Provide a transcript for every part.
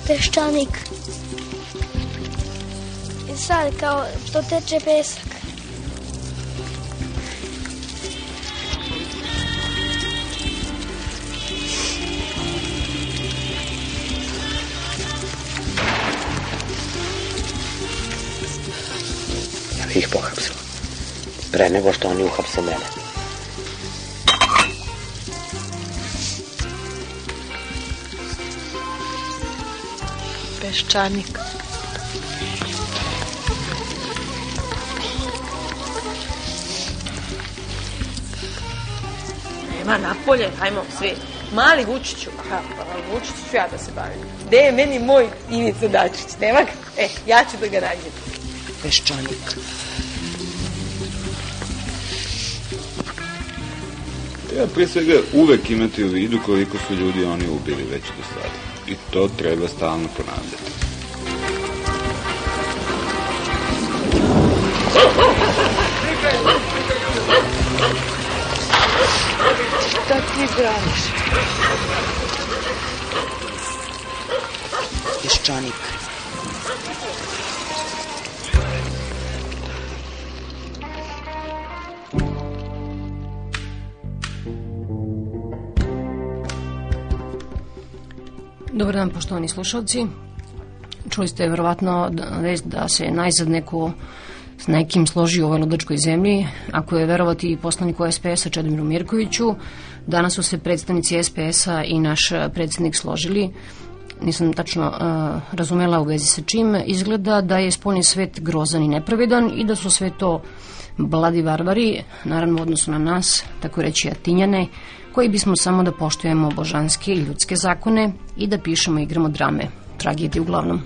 peščanik. I sad kao to teče pesak. Ja bih ih pohapsila. Pre nego što oni uhapse mene. Peščanik. Nema napolje, hajmo svi. Mali Vučiću, Vučiću ću ja da se bavim. Gde je meni moj Ivica Dačić? Nema ga? Ja ću da ga nađem. Peščanik. Treba prije svega uvek imati u vidu koliko su ljudi oni ubili već do sada. I to treba stalno ponavljati. Šta ti braniš? Peščanik. Dobar dan, poštovani slušalci. Čuli ste verovatno vest da se najzad neko s nekim složi u ovoj ludačkoj zemlji. Ako je verovati i poslaniku SPS-a Čedomiru Mirkoviću, danas su se predstavnici SPS-a i naš predsjednik složili. Nisam tačno razumela u vezi sa čim. Izgleda da je spoljni svet grozan i nepravedan i da su sve to bladi varvari, naravno u odnosu na nas, tako reći Atinjane, koji bismo samo da poštujemo božanske i ljudske zakone i da pišemo i igramo drame, tragedije uglavnom.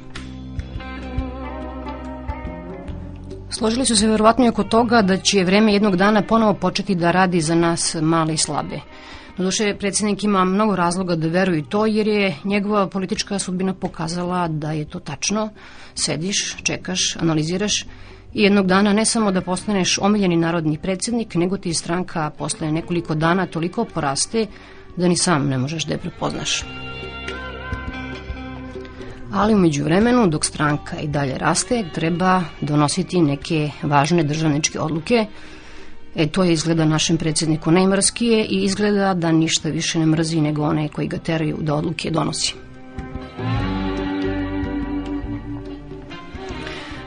Složili su se verovatno i oko toga da će vreme jednog dana ponovo početi da radi za nas male i slabe. Doduše, predsjednik ima mnogo razloga da veruje to, jer je njegova politička sudbina pokazala da je to tačno. Sediš, čekaš, analiziraš i jednog dana ne samo da postaneš omiljeni narodni predsjednik, nego ti stranka posle nekoliko dana toliko poraste da ni sam ne možeš da je prepoznaš. Ali u međuvremenu, dok stranka i dalje raste, treba donositi neke važne državničke odluke. To je izgleda našem predsjedniku najmrskije i izgleda da ništa više ne mrzi nego one koji ga teraju da odluke donosi.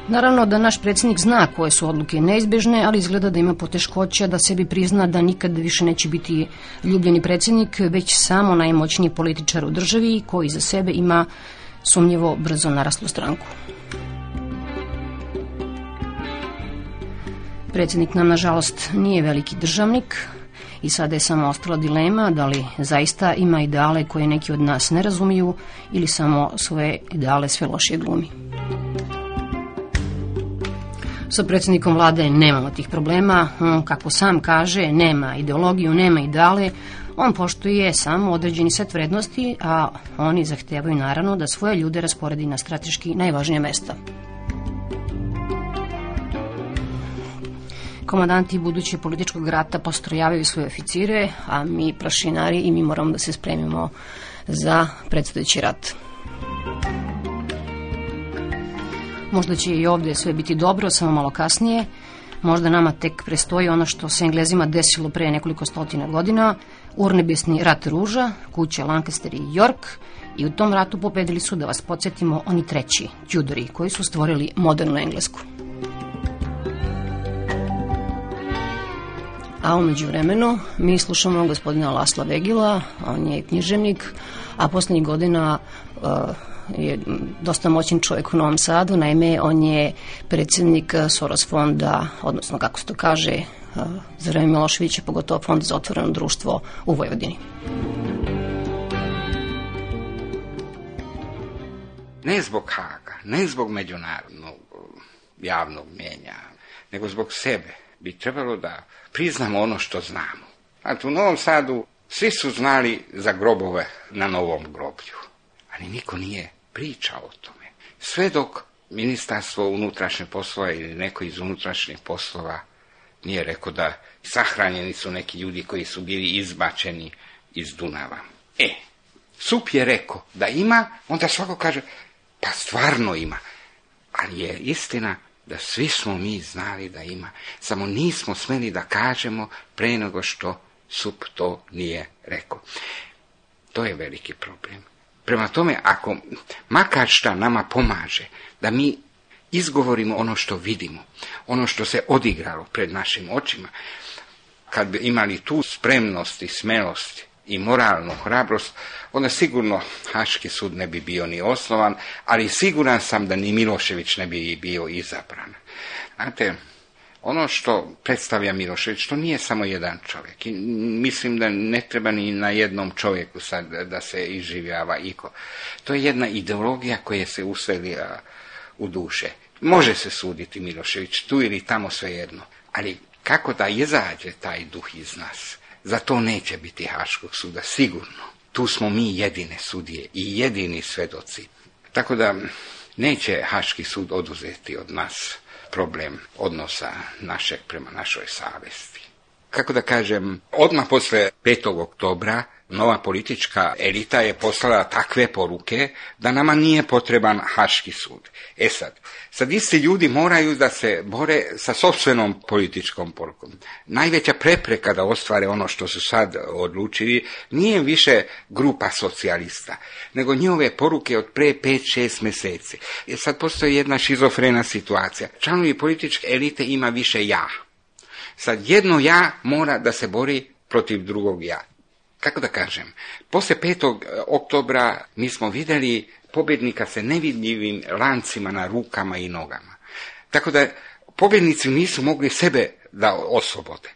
Naravno da naš predsjednik zna koje su odluke neizbježne, ali izgleda da ima poteškoća da sebi prizna da nikad više neće biti ljubljeni predsjednik, već samo najmoćniji političar u državi koji za sebe ima sumnjivo brzo naraslu stranku. Predsjednik nam, nažalost, nije veliki državnik i sada je samo ostala dilema da li zaista ima ideale koje neki od nas ne razumiju ili samo svoje ideale sve lošije glumi. Sa predsjednikom vlade nemamo tih problema. On, kako sam kaže, nema ideologiju, nema ideale. On poštuje samo određeni set vrednosti, a oni zahtevaju naravno da svoje ljude rasporedi na strateški najvažnija mesta. Komandanti budućeg političkog rata postrojavaju svoje oficire, a mi prašinari i mi moramo da se spremimo za predstojeći rat. Možda će i ovdje sve biti dobro, samo malo kasnije. Možda nama tek prestoji ono što se Englezima desilo pre nekoliko stotina godina, urnebesni rat ruža, kuće Lancaster i York, i u tom ratu pobedili su, da vas podsjetimo, oni treći, Tudori, koji su stvorili modernu Englesku. A umeđu vremenu mi slušamo gospodina Lasla Vegila, on je književnik, a posljednjih godina je dosta moćan čovjek u Novom Sadu. Naime, on je predsjednik Soros fonda, odnosno kako se to kaže, za vreme Miloševića, pogotovo Fond za otvoreno društvo u Vojvodini. Ne zbog Haga, ne zbog međunarodnog javnog mnijenja, nego zbog sebe bi trebalo da priznamo ono što znamo. Znači, u Novom Sadu svi su znali za grobove na Novom groblju, ali niko nije pričao o tome. Sve dok Ministarstvo unutrašnjih poslova ili neko iz unutrašnjih poslova nije rekao da sahranjeni su neki ljudi koji su bili izbačeni iz Dunava. SUP je rekao da ima, onda svako kaže, pa stvarno ima. Ali je istina da svi smo mi znali da ima, samo nismo smeli da kažemo pre nego što SUP to nije rekao. To je veliki problem. Prema tome, ako makar šta nama pomaže, da mi izgovorimo ono što vidimo, ono što se odigralo pred našim očima, kad bi imali tu spremnost i smelost i moralnu hrabrost, onda sigurno Haški sud ne bi bio ni osnovan, ali siguran sam da ni Milošević ne bi bio izabran. Znate, ono što predstavlja Milošević, to nije samo jedan čovjek. I mislim da ne treba ni na jednom čovjeku sad da se iživljava iko. To je jedna ideologija koja se uselila u duše. Može se suditi Milošević, tu ili tamo svejedno, ali kako da izađe taj duh iz nas? Za to neće biti Haškog suda, sigurno. Tu smo mi jedine sudije i jedini svedoci. Tako da neće Haški sud oduzeti od nas problem odnosa našeg prema našoj savjesti. Kako da kažem, odmah posle 5. oktobra nova politička elita je poslala takve poruke da nama nije potreban Haški sud. Sad isti ljudi moraju da se bore sa sopstvenom političkom porukom. Najveća prepreka da ostvare ono što su sad odlučili nije više grupa socijalista, nego njihove poruke od pre 5-6 mjeseci. Sad postoji jedna šizofrena situacija. Članovi političke elite ima više ja. Sad jedno ja mora da se bori protiv drugog ja. Kako da kažem, poslije 5. oktobra mi smo vidjeli pobjednika sa nevidljivim lancima na rukama i nogama. Tako da pobjednici nisu mogli sebe da oslobode.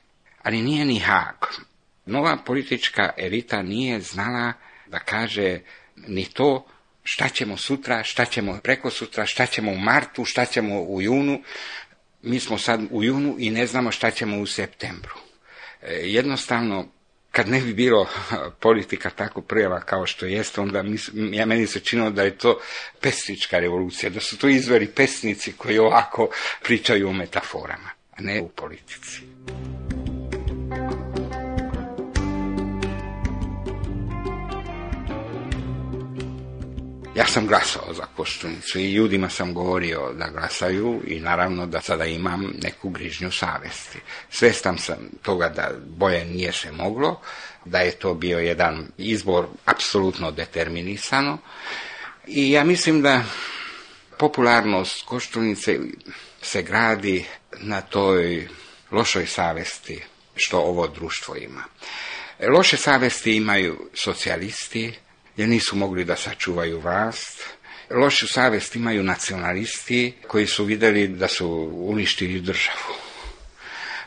Ali nije ni Haag. Nova politička elita nije znala da kaže ni to šta ćemo sutra, šta ćemo prekosutra, šta ćemo u martu, šta ćemo u junu. Mi smo sad u junu i ne znamo šta ćemo u septembru. Jednostavno, kad ne bi bilo politika tako prljava kao što jest, onda meni se činilo da je to pesnička revolucija, da su to izvori pesnici koji ovako pričaju o metaforama, a ne u politici. Ja sam glasao za Koštunicu i ljudima sam govorio da glasaju i naravno da sada imam neku grižnju savjesti. Svjestan sam toga da bolje nije se moglo, da je to bio jedan izbor apsolutno determinisano i ja mislim da popularnost Koštunice se gradi na toj lošoj savjesti što ovo društvo ima. Loše savjesti imaju socijalisti, jer nisu mogli da sačuvaju vlast. Lošu savjest imaju nacionalisti koji su vidjeli da su uništili državu.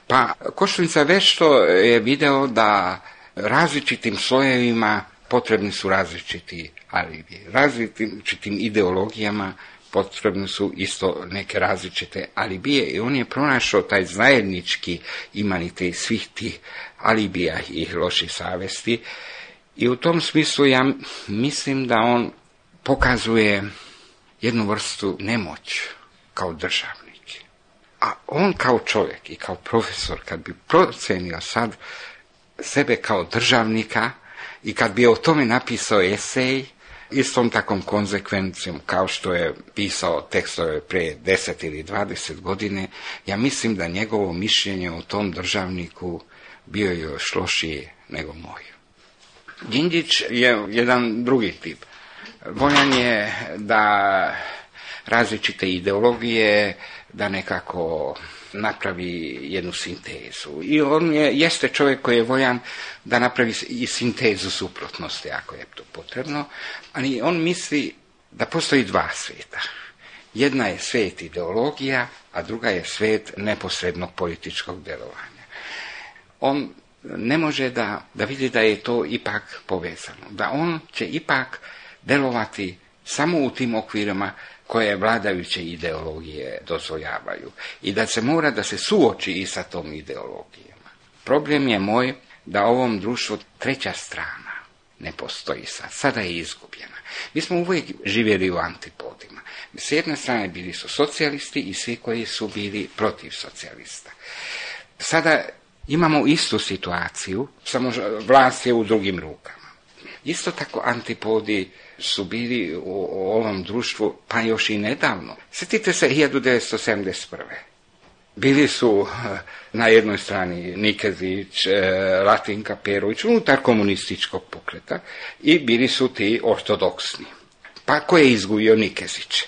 Pa Koštunica već što je video da različitim slojevima potrebni su različiti alibi. Različitim ideologijama potrebni su isto neke različite alibije i on je pronašao taj zajednički imanitet svih tih alibija i loših savjesti. I u tom smislu ja mislim da on pokazuje jednu vrstu nemoć kao državnik. A on kao čovjek i kao profesor, kad bi procenio sad sebe kao državnika i kad bi o tome napisao esej, istom takvom konzekvencijom kao što je pisao tekstove pre 10 ili 20 godine, ja mislim da njegovo mišljenje o tom državniku bio još lošije nego moj. Đinđić je jedan drugi tip. Voljan je da različite ideologije, da nekako napravi jednu sintezu. I on jeste čovjek koji je voljan da napravi i sintezu suprotnosti, ako je to potrebno, ali on misli da postoji dva svijeta. Jedna je svijet ideologija, a druga je svijet neposrednog političkog djelovanja. On ne može da vidi da je to ipak povezano, da on će ipak delovati samo u tim okvirima koje vladajuće ideologije dozvoljavaju i da se mora da se suoči i sa tom ideologijama. Problem je moj da ovom društvu treća strana ne postoji sad. Sada je izgubljena. Mi smo uvijek živjeli u antipodima. S jedne strane bili su socijalisti i svi koji su bili protiv socijalista. Sada imamo istu situaciju, samo vlast je u drugim rukama. Isto tako antipodi su bili u ovom društvu, pa još i nedavno. Sjetite se 1971. Bili su na jednoj strani Nikezić, Latinka Perović, unutar komunističkog pokreta, i bili su ti ortodoksni. Pa ko je izgubio? Nikezić.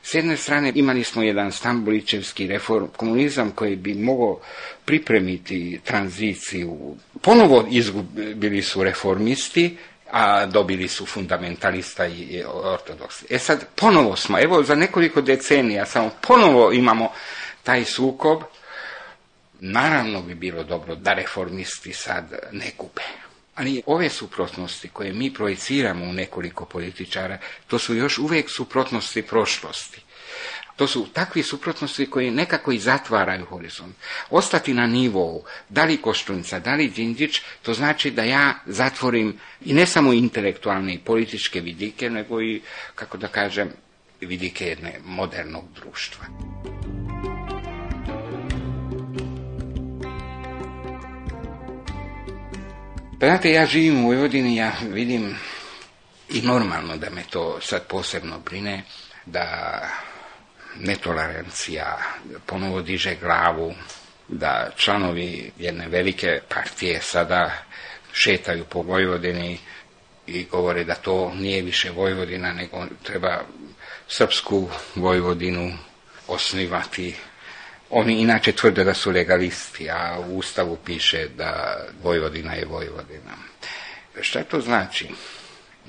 S jedne strane imali smo jedan stambulićevski reform komunizam koji bi mogao pripremiti tranziciju. Ponovo izgubili su reformisti, a dobili su fundamentalista i ortodoksi. Sad ponovo smo, evo za nekoliko decenija samo ponovo imamo taj sukob. Naravno bi bilo dobro da reformisti sad ne gube. Ali ove suprotnosti koje mi projiciramo u nekoliko političara, to su još uvijek suprotnosti prošlosti. To su takvi suprotnosti koji nekako i zatvaraju horizont. Ostati na nivou, da li Koštunica, da li Đinđić, to znači da ja zatvorim i ne samo intelektualne i političke vidike, nego i, kako da kažem, vidike jedne modernog društva. Pa znate, ja živim u Vojvodini, ja vidim i normalno da me to sad posebno brine, da netolerancija ponovo diže glavu, da članovi jedne velike partije sada šetaju po Vojvodini i govore da to nije više Vojvodina, nego treba srpsku Vojvodinu osnivati. Oni inače tvrde da su legalisti, a u Ustavu piše da Vojvodina je Vojvodina. Šta to znači?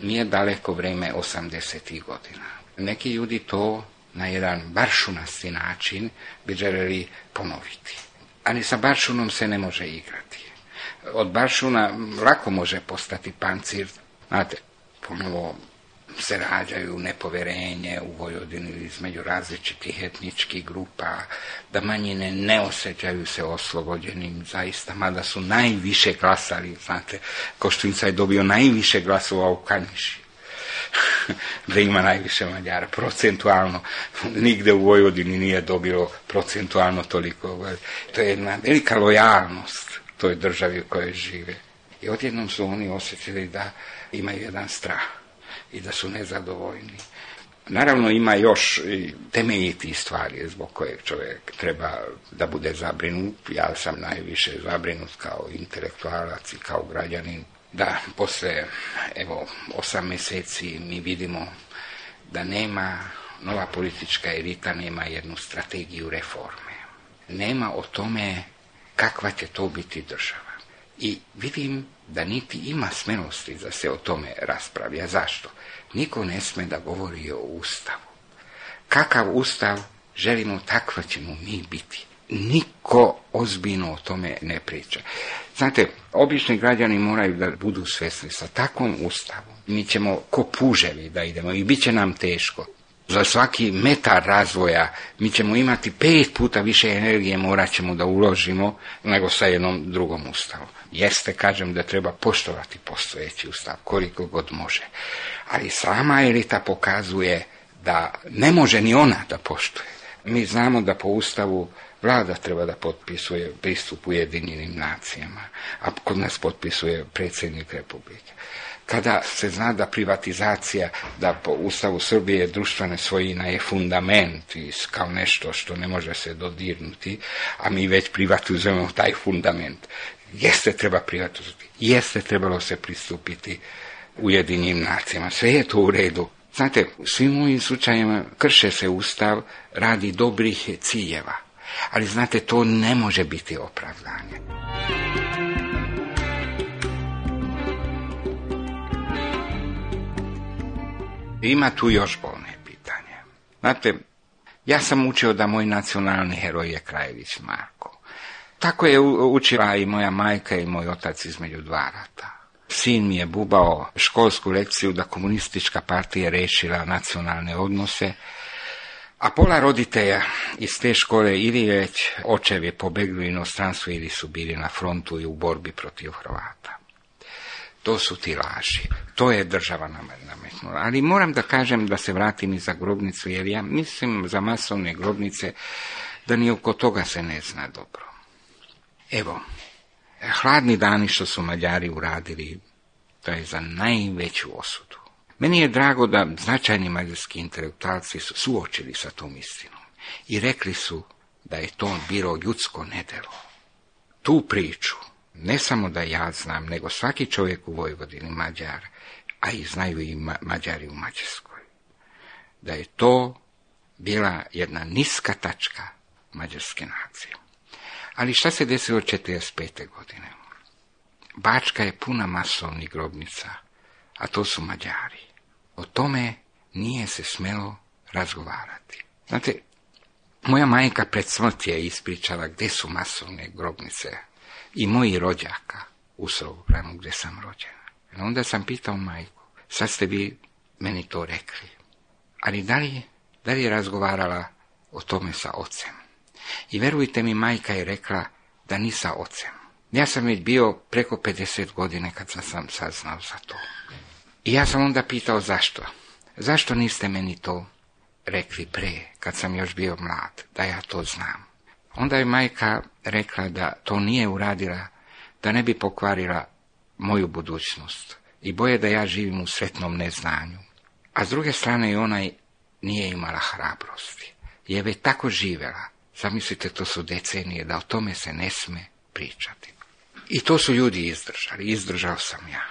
Nije daleko vrijeme 80. godina. Neki ljudi to na jedan baršunasti način bi željeli ponoviti. Ali sa baršunom se ne može igrati. Od baršuna lako može postati pancir. Znate, ponovo se rađaju nepoverenje u Vojvodini između različitih etničkih grupa, da manjine ne osjećaju se oslobođenim zaista, mada su najviše glasali, znate, Koštunica je dobio najviše glasova u Kanjiži, da ima najviše Mađara, procentualno, nigde u Vojvodini nije dobilo procentualno toliko. To je jedna velika lojalnost toj državi u kojoj žive. I odjednom su oni osjetili da imaju jedan strah i da su nezadovoljni. Naravno ima još i temeljitih stvari zbog kojeg čovjek treba da bude zabrinut. Ja sam najviše zabrinut kao intelektualac i kao građanin, da posle 8 mjeseci mi vidimo da nema, nova politička elita nema jednu strategiju reforme. Nema o tome kakva će to biti država. I vidim da niti ima smelosti da se o tome raspravlja. Zašto? Niko ne sme da govori o Ustavu. Kakav Ustav želimo, takva ćemo mi biti. Niko ozbiljno o tome ne priča. Znate, obični građani moraju da budu svjesni sa takvom Ustavom. Mi ćemo ko puževi da idemo i bit će nam teško. Za svaki metar razvoja mi ćemo imati 5 puta više energije, morat ćemo da uložimo nego sa jednom drugom Ustavom. Jeste, kažem, da treba poštovati postojeći Ustav koliko god može. Ali sama elita pokazuje da ne može ni ona da poštuje. Mi znamo da po Ustavu Vlada treba da potpisuje pristup Ujedinjenim nacijama, a kod nas potpisuje predsjednik Republike. Kada se zna da privatizacija, da po Ustavu Srbije društvena svojina je fundament kao nešto što ne može se dodirnuti, a mi već privatizujemo taj fundament. Jeste treba privatizovati, jeste trebalo se pristupiti Ujedinjenim nacijama, sve je to u redu. Znate, u svim ovim slučajima krše se Ustav radi dobrih ciljeva, ali znate, to ne može biti opravdanje. Ima tu još bolne pitanje. Znate, ja sam učio da moj nacionalni heroj je Krajević Marko. Tako je učila i moja majka i moj otac između 2 rata. Sin mi je bubao školsku lekciju da komunistička partija rešila nacionalne odnose, a pola roditelja iz te škole ili već očevi pobegli u inostranstvo ili su bili na frontu i u borbi protiv Hrvata. To su ti laži. To je država nametnula. Ali moram da kažem, da se vratim i za grobnicu, jer ja mislim za masovne grobnice da ni oko toga se ne zna dobro. Evo, hladni dani što su Mađari uradili to je za najveću osudu. Meni je drago da značajni mađarski intelektualci su suočili sa tom istinom i rekli su da je to bilo ljudsko nedelo. Tu priču ne samo da ja znam, nego svaki čovjek u Vojvodini, Mađar, a i znaju i Mađari u Mađarskoj, da je to bila jedna niska tačka mađarske nacije. Ali šta se desilo 1945. godine? Bačka je puna masovnih grobnica, a to su Mađari. O tome nije se smelo razgovarati. Znate, moja majka pred smrt je ispričala gdje su masovne grobnice i moji rođaka u Sobranu gdje sam rođena. I onda sam pitao majku, sad ste vi meni to rekli, ali da li je razgovarala o tome sa ocem? I verujte mi, majka je rekla da ni sa ocem. Ja sam već bio preko 50 godine kad sam saznao za to. I ja sam onda pitao zašto. Zašto niste meni to rekli pre, kad sam još bio mlad, da ja to znam? Onda je majka rekla da to nije uradila, da ne bi pokvarila moju budućnost i boje da ja živim u sretnom neznanju. A s druge strane i ona nije imala hrabrosti. Je već tako živjela. Zamislite, to su decenije, da o tome se ne sme pričati. I to su ljudi izdržali. Izdržao sam ja.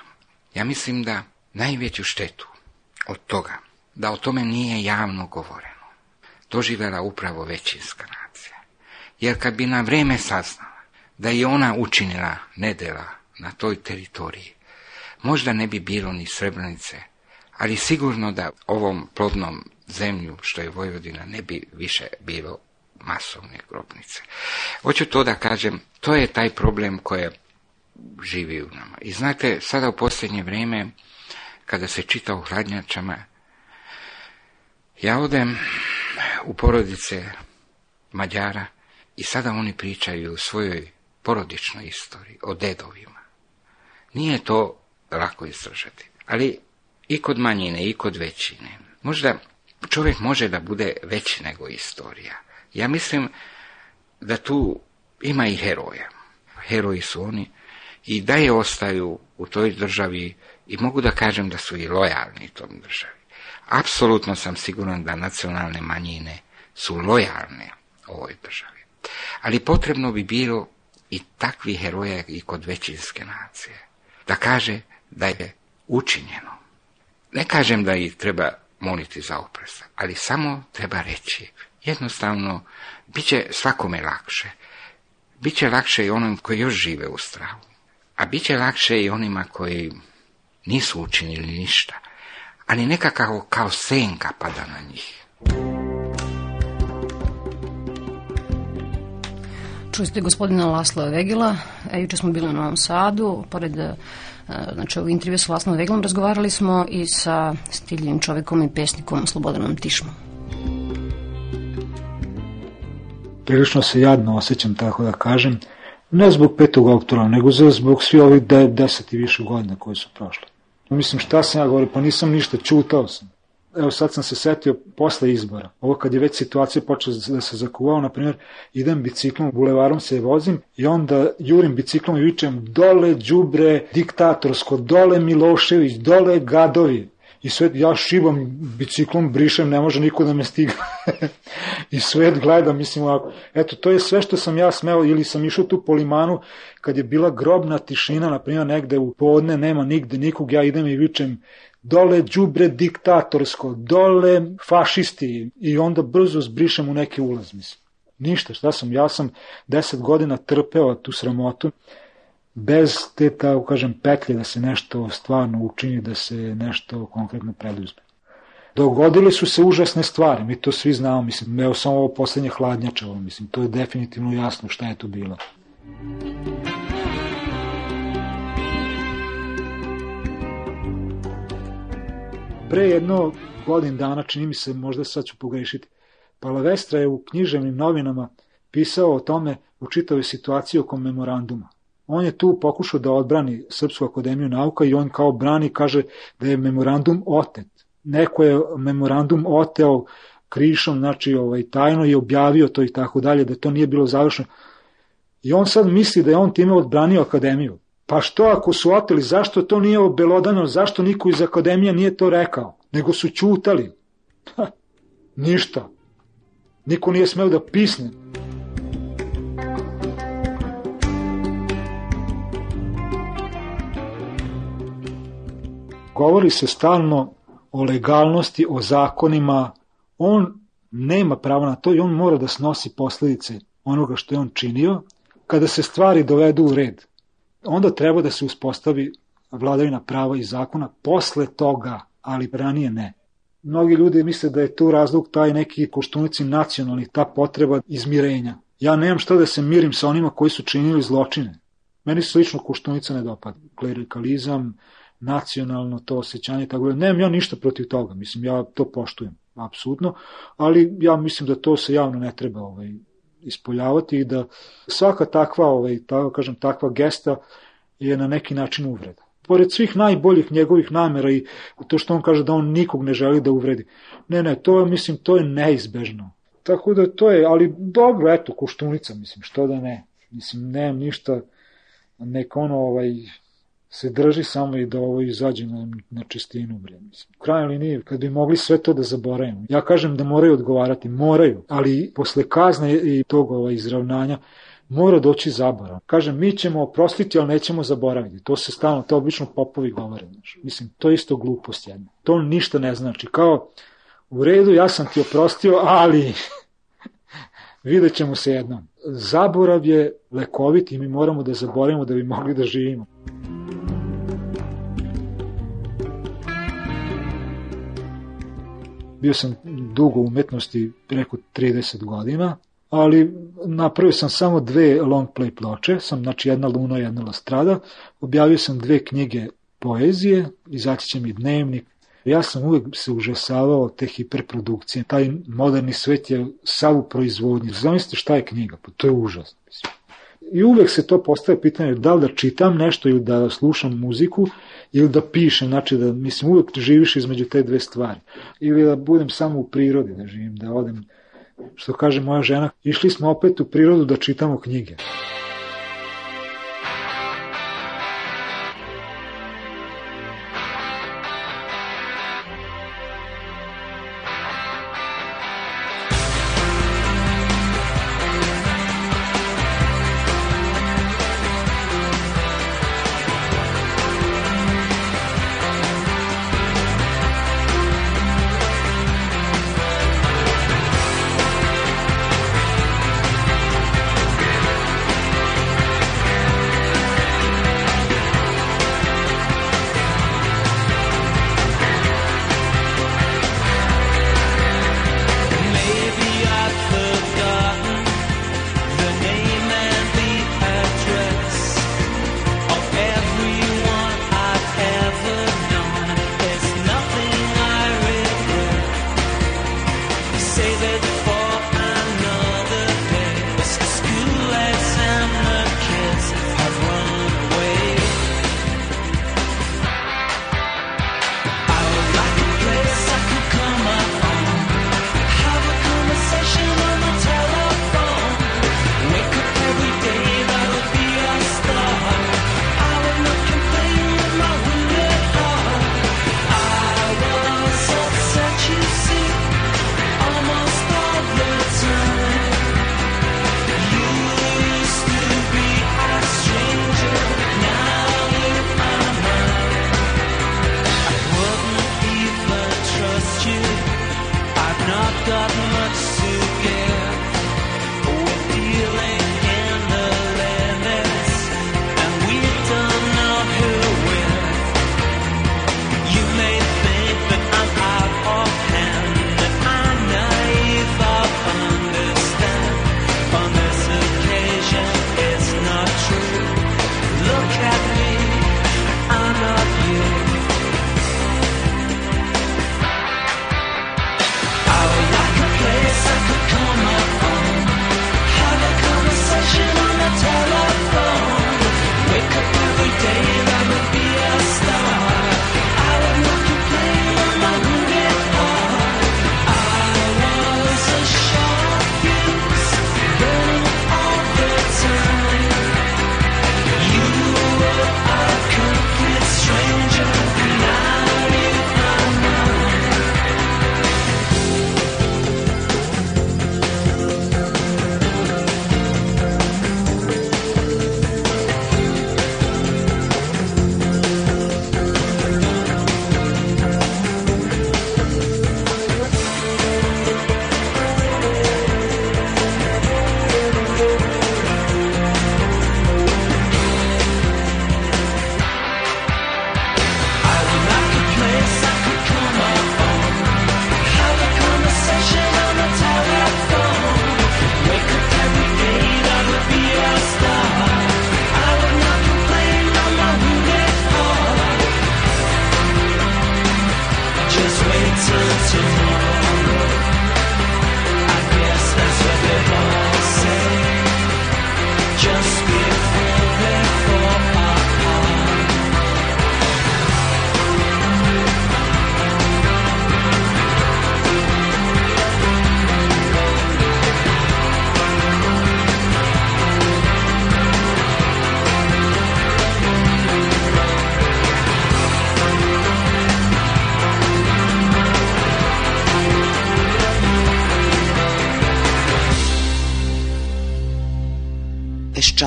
Ja mislim da najveću štetu od toga, da o tome nije javno govoreno, doživjela upravo većinska nacija. Jer kad bi na vrijeme saznala da je ona učinila nedjela na toj teritoriji, možda ne bi bilo ni Srebrenice, ali sigurno da ovom plodnom zemlju, što je Vojvodina, ne bi više bilo masovne grobnice. Hoću to da kažem, to je taj problem koji živi u nama. I znate, sada u posljednje vrijeme, kada se čita o hladnjačama, ja odem u porodice Mađara i sada oni pričaju o svojoj porodičnoj istoriji, o dedovima. Nije to lako izdržati, ali i kod manjine i kod većine. Možda čovjek može da bude veći nego istorija. Ja mislim da tu ima i heroja. Heroji su oni i da je ostaju u toj državi i mogu da kažem da su i lojalni tom državi. Apsolutno sam siguran da nacionalne manjine su lojalne ovoj državi. Ali potrebno bi bilo i takvi heroja i kod većinske nacije. Da kaže da je učinjeno. Ne kažem da ih treba moliti za oprost, ali samo treba reći. Jednostavno, bit će svakome lakše. Biće lakše i onom koji još žive u strahu. A bit će lakše i onima koji nisu učinili ništa, ali nekako kao senka pada na njih. Čuli ste gospodina Lasla Vegela, juče smo bili u Novom Sadu, pored u intervju sa Laslom Vegelom razgovarali smo i sa stiljivim čovjekom i pesnikom Slobodanom Tišmom. Prilično se jadno osjećam, tako da kažem, ne zbog 5. oktobra, nego zbog svi ovih 10 i više godina koji su prošli. Mislim, šta sam ja govorio, pa nisam ništa, čutao sam. Evo sad sam se setio posle izbora. Ovo kad je već situacija počela da se zakuvao, na primjer, idem biciklom, bulevarom se vozim i onda jurim biciklom i vičem dole đubre diktatorsko, dole Milošević, dole gadovi. I svet, ja šibam biciklom, brišem, ne može niko da me stigne. I svet gleda, mislim ovako. Eto, to je sve što sam ja smeo, ili sam išao tu po limanu, kad je bila grobna tišina, na primjer, negde u podne, nema nigde nikog, ja idem i vičem dole đubre diktatorsko, dole fašisti, i onda brzo zbrišem u neki ulaz, mislim. Ništa, šta sam, ja sam 10 godina trpeo tu sramotu, bez te, tako kažem, petlje da se nešto stvarno učini, da se nešto konkretno preduzme. Dogodile su se užasne stvari, mi to svi znamo, mislim, evo samo ovo poslednje hladnjačevo, mislim, to je definitivno jasno šta je to bilo. Pre jedno godin dana, čini mi se, možda sad ću pogrešiti, Palavestra je u književnim novinama pisao o tome, u čitavoj situaciji oko memoranduma. On je tu pokušao da odbrani Srpsku akademiju nauka i on kao brani kaže da je memorandum otet. Neko je memorandum oteo krišom, znači tajno je objavio to i tako dalje, da to nije bilo završeno. I on sad misli da je on time odbranio akademiju. Pa što ako su oteli, zašto to nije obelodano, zašto niko iz akademija nije to rekao, nego su ćutali? Ništa. Niko nije smeo da pisne. Govori se stalno o legalnosti, o zakonima. On nema pravo na to i on mora da snosi posledice onoga što je on činio. Kada se stvari dovedu u red, onda treba da se uspostavi vladavina prava i zakona posle toga, ali ranije ne. Mnogi ljudi misle da je tu razlog taj neki Koštunici nacionalnih, ta potreba izmirenja. Ja nemam šta da se mirim sa onima koji su činili zločine. Meni se lično Koštunica ne dopada. Klerikalizam, nacionalno to osjećanje, tako da nemam ja ništa protiv toga. Mislim, ja to poštujem, apsolutno, ali ja mislim da to se javno ne treba ispoljavati i da svaka takva gesta je na neki način uvreda. Pored svih najboljih njegovih namera i to što on kaže da on nikog ne želi da uvredi. Ne, to je neizbežno. Tako da to je, ali dobro, eto, Koštunica, mislim, što da ne. Mislim, nemam ništa, neka se drži samo i da izađe na čistinu. Mislim. U krajnjoj liniji, kad bi mogli sve to da zaboravimo. Ja kažem da moraju odgovarati, moraju, ali posle kazne i tog izravnanja mora doći zaborav. Kažem, mi ćemo oprostiti, ali nećemo zaboraviti. To se stalno, to obično popovi govore. Mislim, to je isto glupost jedna. To ništa ne znači. Kao, u redu, ja sam ti oprostio, ali vidjet ćemo se jednom. Zaborav je lekovit i mi moramo da zaboravimo da bi mogli da živimo. Bio sam dugo u umetnosti, preko 30 godina, ali napravio sam samo 2 long play ploče, znači jedna Luna i jedna Lastrada, objavio sam 2 knjige poezije, izaći će mi dnevnik. Ja sam uvek se užasavao te hiperprodukcije, taj moderni svet je sav u proizvodnji. Zamislite šta je knjiga, pa to je užasno. I uvek se to postaje pitanje da li da čitam nešto ili da slušam muziku ili da pišem, znači da, mislim, uvek živiš između te 2 stvari. Ili da budem samo u prirodi, da živim, da odem, što kaže moja žena, išli smo opet u prirodu da čitamo knjige.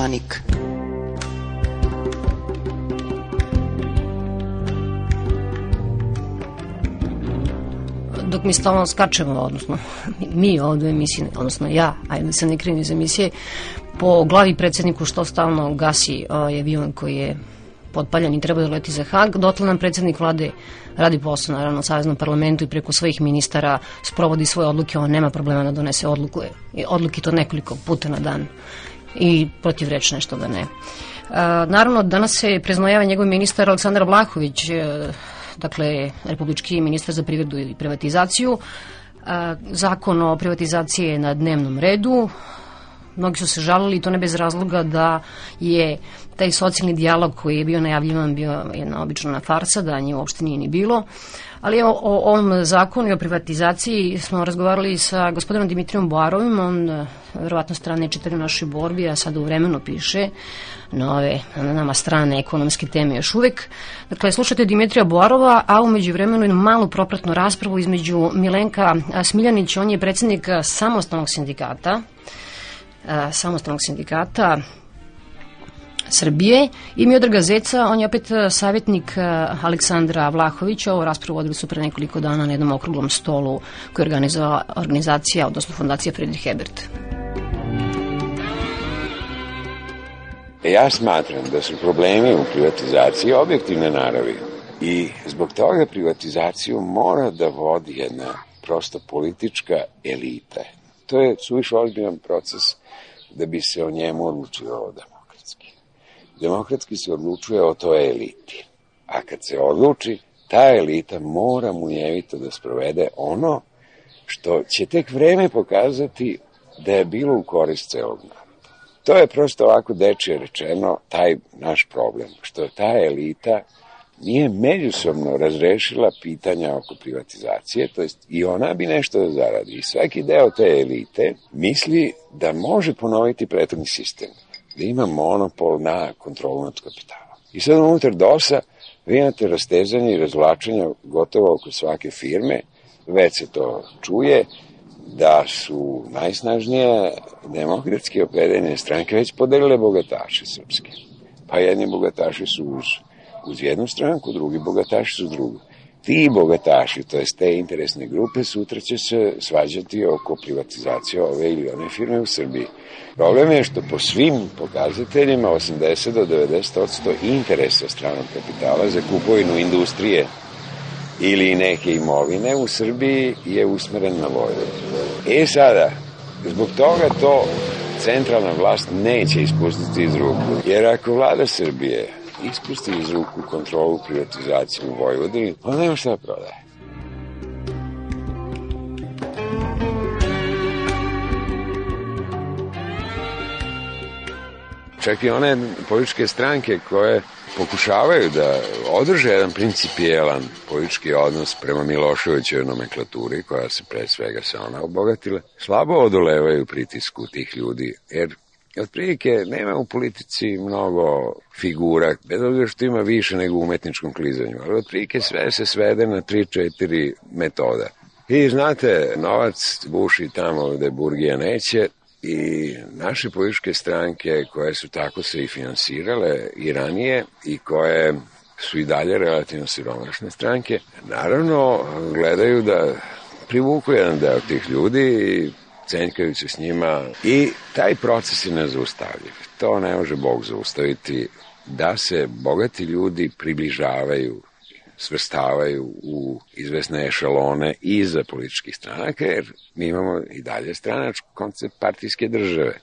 Danik. Dok mi stalno skačemo, odnosno mi ovdje u emisiji, odnosno ja, ajde da se ne krivim iz emisije, po glavi predsjedniku što stalno gasi avion koji je potpaljan i treba da leti za Hag, dotle nam predsjednik vlade radi posao, naravno, u Saveznom parlamentu i preko svojih ministara sprovodi svoje odluke, on nema problema da donese odluke to nekoliko puta na dan i protivrečne što da ne. Naravno, danas se preznojava njegov ministar Aleksandar Vlahović, dakle, republički ministar za privredu i privatizaciju. Zakon o privatizaciji je na dnevnom redu. Mnogi su se žalili i to ne bez razloga da je taj socijalni dijalog koji je bio najavljivan bio jedna obična farsa, da nje uopšte nije ni bilo. Ali evo, o ovom zakonu i o privatizaciji smo razgovarali sa gospodinom Dimitrijom Boarovim, on verovatno strane čitari u našoj borbi, a sada u Vremenu piše na nama strane ekonomske teme još uvek. Dakle, slušate Dimitrija Boarova, a umeđu vremenu jednu malu propratnu raspravu između Milenka Smiljanić, on je predsjednik samostalnog sindikata Srbije, i Miodraga Zeca, on je opet savjetnik Aleksandra Vlahovića. Ovu raspravu vodili su pre nekoliko dana na jednom okruglom stolu koju je organizovala organizacija, odnosno fondacija Friedrich Ebert. Ja smatram da su problemi u privatizaciji objektivne naravi i zbog toga privatizaciju mora da vodi jedna prosto politička elita. To je suviše ozbiljan proces da bi se o njemu odlučivalo demokratski. Demokratski se odlučuje o toj eliti. A kad se odluči, ta elita mora munjevito da sprovede ono što će tek vreme pokazati da je bilo u korist celog naroda. To je prosto ovako dečije rečeno taj naš problem, što ta elita nije međusobno razrešila pitanja oko privatizacije, to jest i ona bi nešto da zaradi. I svaki deo te elite misli da može ponoviti prethodni sistem, da ima monopol na kontrolu nad kapitalom. I sad unutar DOS-a vi imate rastezanje i razvlačenja gotovo oko svake firme, već se to čuje, da su najsnažnije demokratski opredeljene stranke već podelile bogataše srpske. Pa jedni bogataši su uz jednu stranku, drugi bogataši su drugu. Ti bogataši, to jest te interesne grupe, sutra će se svađati oko privatizacije ove ili one firme u Srbiji. Problem je što po svim pokazateljima 80 do 90% interesa stranog kapitala za kupovinu industrije ili neke imovine u Srbiji je usmeren na Vojvodinu. Sada, zbog toga to centralna vlast neće ispustiti iz ruku, jer ako vlada Srbije ispusti iz ruku kontrolu privatizacije u Vojvodini, onda nema šta prodaje. Čak i one političke stranke koje pokušavaju da održe jedan principijelan politički odnos prema Miloševićevoj nomenklaturi, koja se pre svega se ona obogatila, slabo odolevaju pritisku tih ljudi, jer otprilike nema u politici mnogo figura, bez obzira što ima više nego u umetničkom klizanju, ali otprilike sve se svede na 3-4 metoda. I znate, novac buši tamo gde burgija neće, i naše političke stranke koje su tako se i finansirale i ranije i koje su i dalje relativno siromašne stranke, naravno gledaju da privuku jedan deo tih ljudi i cenjkaju se s njima i taj proces je nezaustavljiv. To ne može Bog zaustaviti, da se bogati ljudi približavaju, svrstavaju u izvesne ešalone iza političkih stranaka, jer mi imamo i dalje stranački koncept partijske države.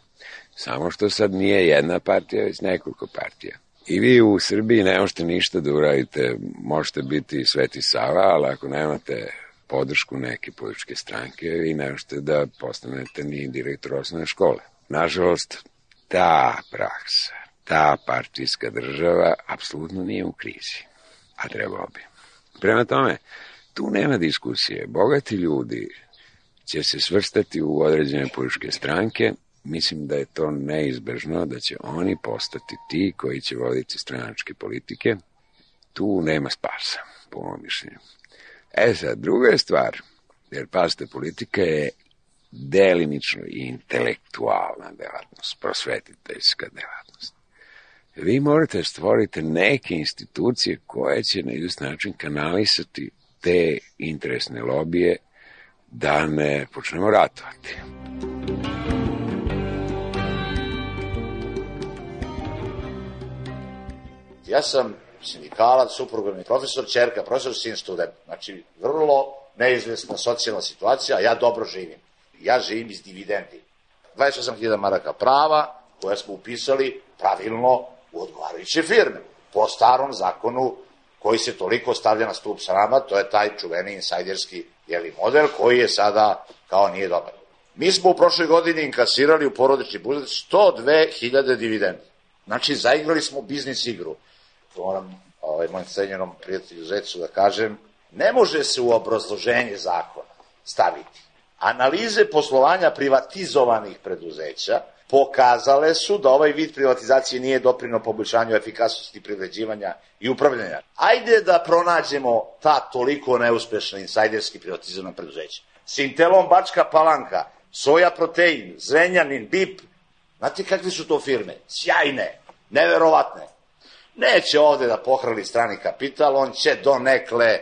Samo što sad nije jedna partija, već nekoliko partija. I vi u Srbiji ne možete ništa da uradite, možete biti Sveti Sava, ali ako nemate podršku neke političke stranke, vi ne možete da postanete ni direktor osnovne škole. Nažalost, ta praksa, ta partijska država apsolutno nije u krizi, a trebao bi. Prema tome, tu nema diskusije. Bogati ljudi će se svrstati u određene političke stranke. Mislim da je to neizbežno, da će oni postati ti koji će voditi stranačke politike. Tu nema spasa, po mojom mišljenju. Sad, druga je stvar, jer pazite, politika je delimično i intelektualna delatnost, prosvetiteljska delatnost. Vi morate stvoriti neke institucije koje će na izvestan način kanalisati te interesne lobije da ne počnemo ratovati. Ja sam sindikalac, supruga mi profesor, ćerka, profesor, sin student. Znači, vrlo neizvesna socijalna situacija, a ja dobro živim. Ja živim iz dividendi. 28.000 maraka prava koje smo upisali pravilno u odgovarajuće firme. Po starom zakonu koji se toliko stavlja na stup srama, to je taj čuveni insajderski model koji je sada kao nije dobar. Mi smo u prošloj godini inkasirali u porodični budžet 102.000 dividendi. Znači, zaigrali smo biznis igru. To moram mojim cenjenom prijatelju Zecu da kažem, ne može se u obrazloženje zakona staviti. Analize poslovanja privatizovanih preduzeća pokazale su da ovaj vid privatizacije nije doprineo poboljšanju efikasnosti privređivanja i upravljanja. Ajde da pronađemo ta toliko neuspešna insajderski privatizovana preduzeća. Sintelom Bačka Palanka, Soja Protein, Zrenjanin, BIP, znate kakve su to firme? Sjajne, neverovatne. Neće ovde da pohrali strani kapital, on će donekle,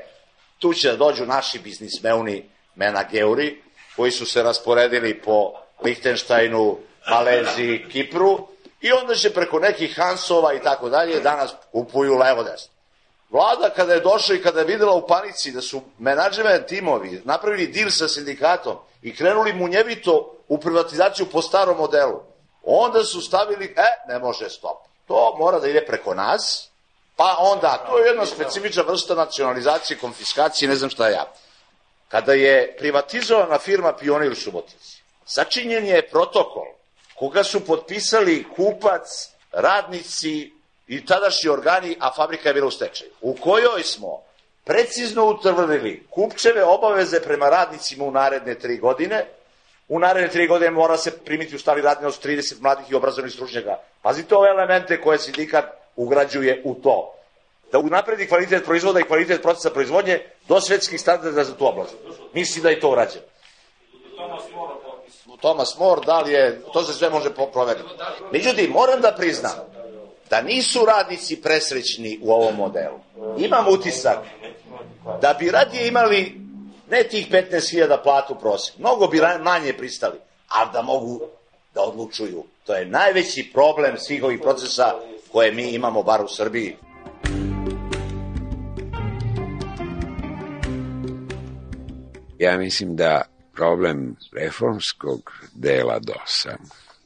tu će da dođu naši biznismeni menageuri, koji su se rasporedili po Lihtenštajnu, Maleziji, Kipru, i onda će preko nekih Hansova i tako dalje danas kupuju levo desno. Vlada kada je došla i kada je videla u panici da su menadžment timovi napravili dil sa sindikatom i krenuli munjevito u privatizaciju po starom modelu, onda su stavili, ne može, stop. To mora da ide preko nas, pa onda, to je jedna specifična vrsta nacionalizacije, konfiskacije, ne znam šta ja. Kada je privatizovana firma Pionir u Subotici, sačinjen je protokol koga su potpisali kupac, radnici i tadašnji organi, a fabrika je bila u stečaju, u kojoj smo precizno utvrdili kupčeve obaveze prema radnicima u naredne 3 godine. U naredne 3 godine mora se primiti u stari radni od 30 mladih i obrazovnih stručnjaka. Pazite ove elemente koje sindikat ugrađuje u to. Da unapredi kvalitet proizvoda i kvalitet procesa proizvodnje do svetskih standarda za tu oblast. Misli da je to urađeno. Thomas More, da li je, to se sve može proveriti. Međutim, moram da priznam da nisu radnici presrećni u ovom modelu. Imam utisak da bi radije imali ne tih 15.000 platu prosjek, mnogo bi manje pristali, ali da mogu da odlučuju. To je najveći problem svih ovih procesa koje mi imamo, bar u Srbiji. Ja mislim da problem reformskog dela DOS-a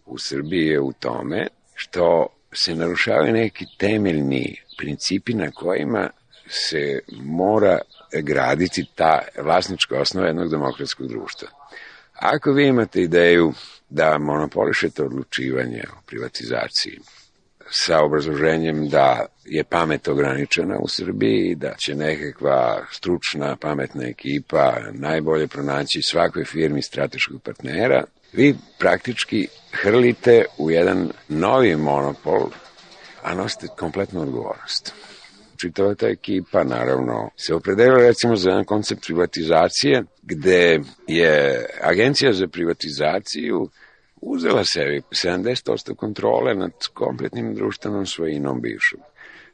u Srbiji je u tome što se narušavaju neki temeljni principi na kojima se mora graditi ta vlasnička osnova jednog demokratskog društva. Ako vi imate ideju da monopolišete odlučivanje o privatizaciji sa obrazloženjem da je pamet ograničena u Srbiji i da će nekakva stručna, pametna ekipa najbolje pronaći svakoj firmi strateškog partnera, vi praktički hrlite u jedan novi monopol, a nosite kompletnu odgovornost. Čitava ta ekipa, naravno, se opredelila recimo za jedan koncept privatizacije, gde je Agencija za privatizaciju uzela sebi 70% kontrole nad kompletnim društvenom svojinom bivšom.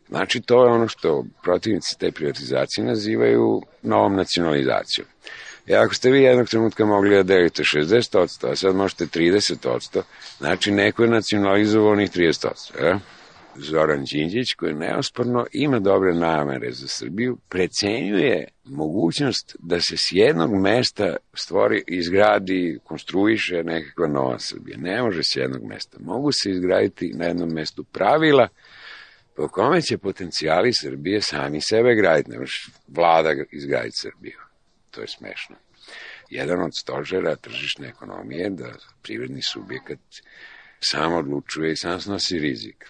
Znači, to je ono što protivnici te privatizacije nazivaju novom nacionalizacijom. I ako ste vi jednog trenutka mogli da delite 60%, a sad možete 30%, znači neko je nacionalizovao onih 30%. Zoran Đinđić, koji neosporno ima dobre namere za Srbiju, precenjuje mogućnost da se s jednog mesta stvori, izgradi, konstruiše nekakva nova Srbija. Ne može s jednog mesta. Mogu se izgraditi na jednom mestu pravila po kome će potencijali Srbije sami sebe graditi. Ne može vlada izgraditi Srbiju. To je smešno. Jedan od stožera tržišne ekonomije je da privredni subjekat sam odlučuje i sam snosi rizik.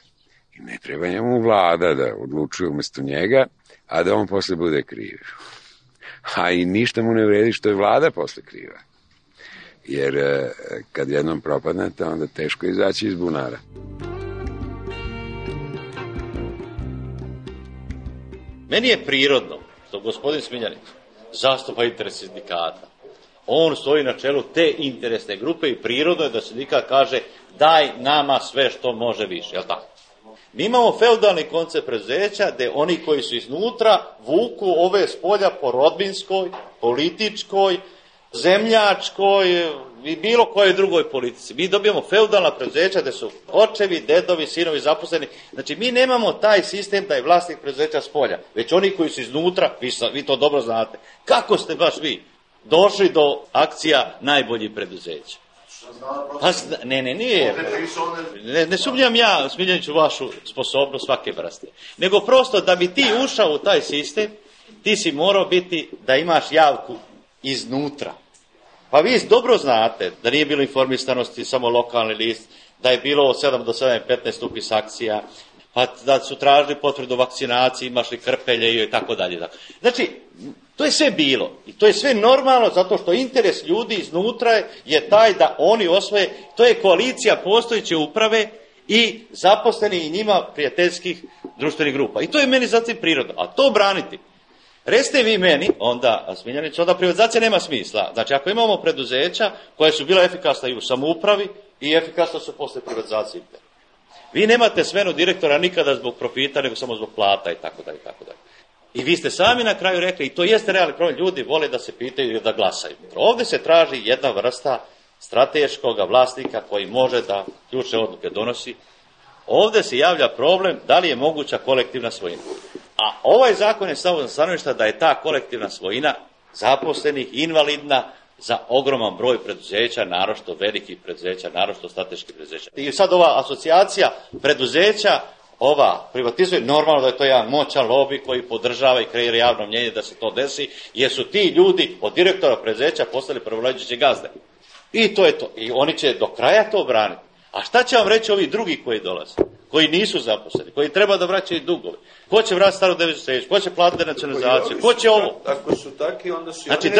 I ne treba njemu vlada da odlučuje umesto njega, a da on posle bude kriv. A i ništa mu ne vredi što je vlada posle kriva. Jer kad jednom propadnete, onda teško izaći iz bunara. Meni je prirodno što gospodin Smiljanić zastupa interes sindikata. On stoji na čelu te interesne grupe i prirodno je da sindikat kaže daj nama sve što može više, jel tako? Mi imamo feudalni koncept preduzeća gde oni koji su iznutra vuku ove spolja po rodbinskoj, političkoj, zemljačkoj i bilo kojoj drugoj politici. Mi dobijamo feudalna preduzeća gde su očevi, dedovi, sinovi zaposleni. Znači mi nemamo taj sistem da je vlasnik preduzeća spolja, već oni koji su iznutra, vi to dobro znate. Kako ste baš vi došli do akcija najboljih preduzeća? Pa, nije. Ne sumnjam ja, Smiljaniću, vašu sposobnost svake vrste. Nego prosto da bi ti ušao u taj sistem, ti si morao biti da imaš javku iznutra. Pa vi dobro znate da nije bilo informisanosti, samo lokalni list, da je bilo od 7 do 7:15 upis akcija, pa da su tražili potvrdu vakcinacije, imaš li krpelje i tako dalje. Znači, to je sve bilo i to je sve normalno zato što interes ljudi iznutra je taj da oni osvoje, to je koalicija postojeće uprave i zaposleni i njima prijateljskih društvenih grupa. I to je meni zatim prirodno, a to braniti. Recite vi meni, onda, Smiljanić, onda privatizacija nema smisla. Znači, ako imamo preduzeća koja su bila efikasna i u samoupravi i efikasna su posle privatizacije. Vi nemate smenu direktora nikada zbog profita, nego samo zbog plata i tako dalje, tako dalje. I vi ste sami na kraju rekli, i to jeste realni problem, ljudi vole da se pitaju i da glasaju. Ovdje se traži jedna vrsta strateškog vlasnika koji može da ključne odluke donosi. Ovdje se javlja problem da li je moguća kolektivna svojina. A ovaj zakon je samo za stanovišta da je ta kolektivna svojina zaposlenih, invalidna za ogroman broj preduzeća, naročito velikih preduzeća, naročito strateških preduzeća. I sad ova asocijacija preduzeća, ova privatizuje, normalno da je to jedan moćan lobby koji podržava i kreira javno mnjenje da se to desi, jer su ti ljudi od direktora preduzeća postali prvoleđeće gazde. I to je to. I oni će do kraja to braniti. A šta će vam reći ovi drugi koji dolaze, koji nisu zaposleni, koji treba da vraćaju dugove? Ko će vratiti staru deviznu štednju? Ko će platiti nacionalizaciju? Ko će ovo? Ako su taki, onda su znači,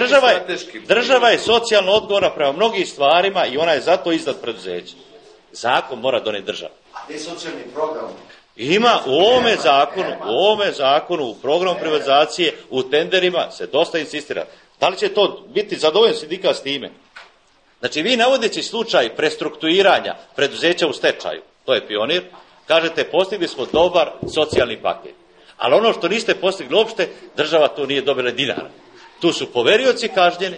država je socijalno odgovorna prema mnogim stvarima i ona je zato iznad preduzeća. Zakon mora doneti država. A gdje je socijalni program? Ima u ovome zakonu, u programu privatizacije, u tenderima se dosta insistira. Da li će to biti zadovoljen sindikat s time? Znači, vi navodeći slučaj prestrukturiranja preduzeća u stečaju, to je Pionir, kažete postigli smo dobar socijalni paket. Ali ono što niste postigli uopšte, država tu nije dobila dinara. Tu su poverioci kažnjeni,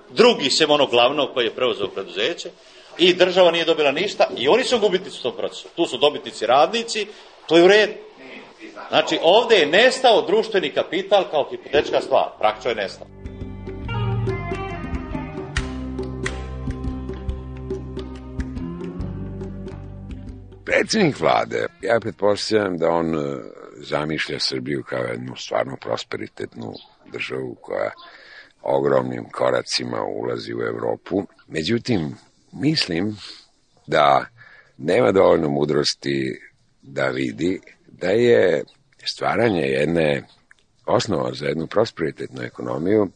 drugi sem onog glavnog koji je preuzeo preduzeće i država nije dobila ništa i oni su gubitnici u tom procesu. Tu su dobitnici radnici, to je u redu. Znači, ovdje je nestao društveni kapital kao hipotečka stvar. Praktično je nestao. Predsjednik vlade, ja pretpostavljam da on zamišlja Srbiju kao jednu stvarno prosperitetnu državu koja ogromnim koracima ulazi u Evropu. Međutim, mislim da nema dovoljno mudrosti da vidi da je stvaranje jedne osnova za jednu prosperitetnu ekonomiju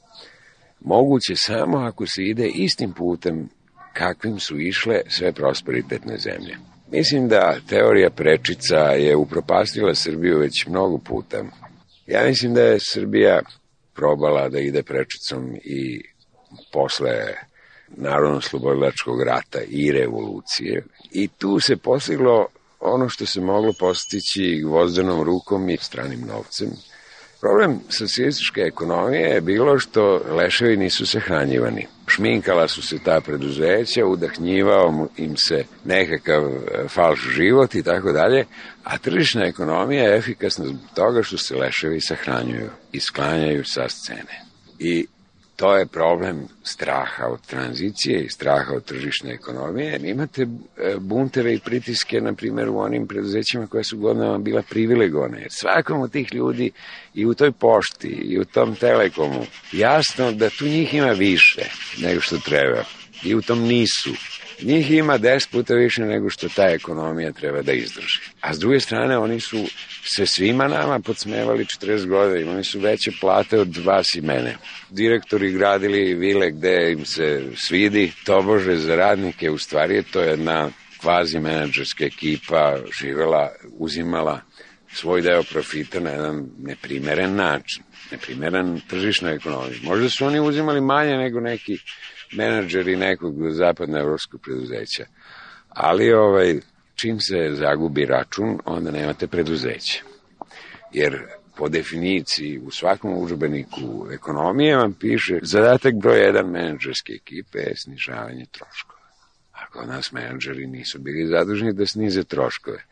moguće samo ako se ide istim putem kakvim su išle sve prosperitetne zemlje. Mislim da teorija prečica je upropastila Srbiju već mnogo puta. Ja mislim da je Srbija probala da ide prečicom i posle Narodno-slobodilačkog rata i revolucije. I tu se postiglo ono što se moglo postići gvozdenom rukom i stranim novcem. Problem socijalističke ekonomije je bilo što leševi nisu sahranjivani. Šminkala su se ta preduzeća, udahnjivao im se nekakav falš život i tako dalje, a tržišna ekonomija je efikasna zbog toga što se leševi sahranjuju i sklanjaju sa scene. I to je problem straha od tranzicije i straha od tržišne ekonomije. Imate bunteve i pritiske, na primjer, u onim preduzećima koja su godinama bila privilegovane. Jer svakom od tih ljudi i u toj pošti i u tom telekomu jasno da tu njih ima više nego što treba. I u tom nisu. Njih ima 10 puta više nego što ta ekonomija treba da izdrži. A s druge strane, oni su se svima nama podsmevali 40 godina. Imali su veće plate od vas i mene. Direktori gradili vile gde im se svidi, tobože za radnike. U stvari je to jedna kvazi menadžerska ekipa živela, uzimala svoj deo profita na jedan neprimeren način, neprimeren tržišnoj ekonomiji. Možda su oni uzimali manje nego neki menadžeri nekog zapadnoevropskog preduzeća, ali čim se zagubi račun, onda nemate preduzeće. Jer po definiciji u svakom udžbeniku ekonomije vam piše zadatak broj 1 menadžerske ekipe je snižavanje troškova. A kod nas menadžeri nisu bili zaduženi da snize troškove,